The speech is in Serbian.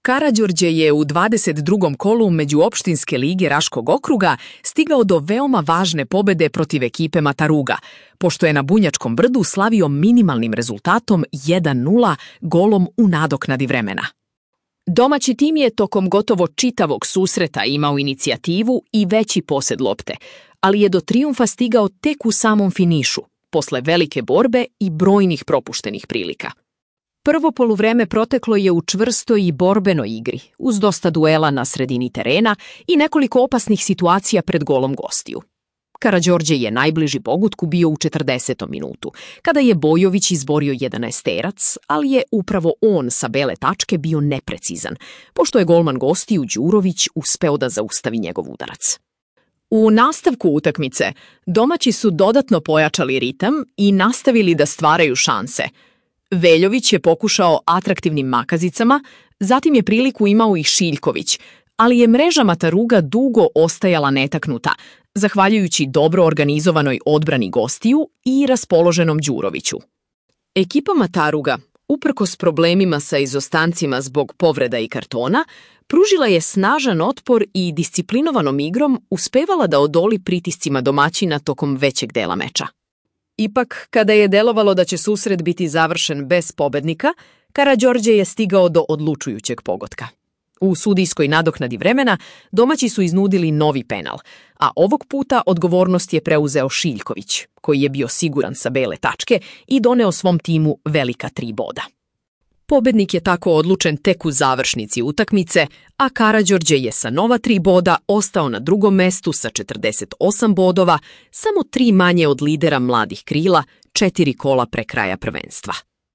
Karađorđe je u 22. kolu Međuopštinske lige Raškog okruga stigao do veoma važne pobede protiv ekipe Mataruga, pošto je na Bunjačkom brdu slavio minimalnim rezultatom 1:0 golom u nadoknadi vremena. Domaći tim je tokom gotovo čitavog susreta imao inicijativu i veći posed lopte, ali je do trijumfa stigao tek u samom finišu, posle velike borbe i brojnih propuštenih prilika. Prvo poluvreme proteklo je u čvrstoj i borbenoj igri, uz dosta duela na sredini terena i nekoliko opasnih situacija pred golom gostiju. Karađorđe je najbliži pogutku bio u 40. minutu, kada je Bojović izborio 11-terac, ali je upravo on sa bele tačke bio neprecizan, pošto je golman gostiju Đurović uspeo da zaustavi njegov udarac. U nastavku utakmice domaći su dodatno pojačali ritam i nastavili da stvaraju šanse. Veljović je pokušao atraktivnim makazicama, zatim je priliku imao i Šiljković, ali je mreža Mataruga dugo ostajala netaknuta, zahvaljujući dobro organizovanoj odbrani gostiju i raspoloženom Đuroviću. Ekipa Mataruga, uprkos problemima sa izostancima zbog povreda i kartona, pružila je snažan otpor i disciplinovanom igrom uspevala da odoli pritiscima domaćina tokom većeg dela meča. Ipak, kada je delovalo da će susret biti završen bez pobednika, Karađorđe je stigao do odlučujućeg pogotka. U sudijskoj nadoknadi vremena domaći su iznudili novi penal, a ovog puta odgovornost je preuzeo Šiljković, koji je bio siguran sa bele tačke i doneo svom timu velika 3 boda. Pobednik je tako odlučen tek u završnici utakmice, a Karađorđe je sa nova 3 boda ostao na drugom mestu sa 48 bodova, samo 3 manje od lidera Mladih krila, 4 kola pre kraja prvenstva.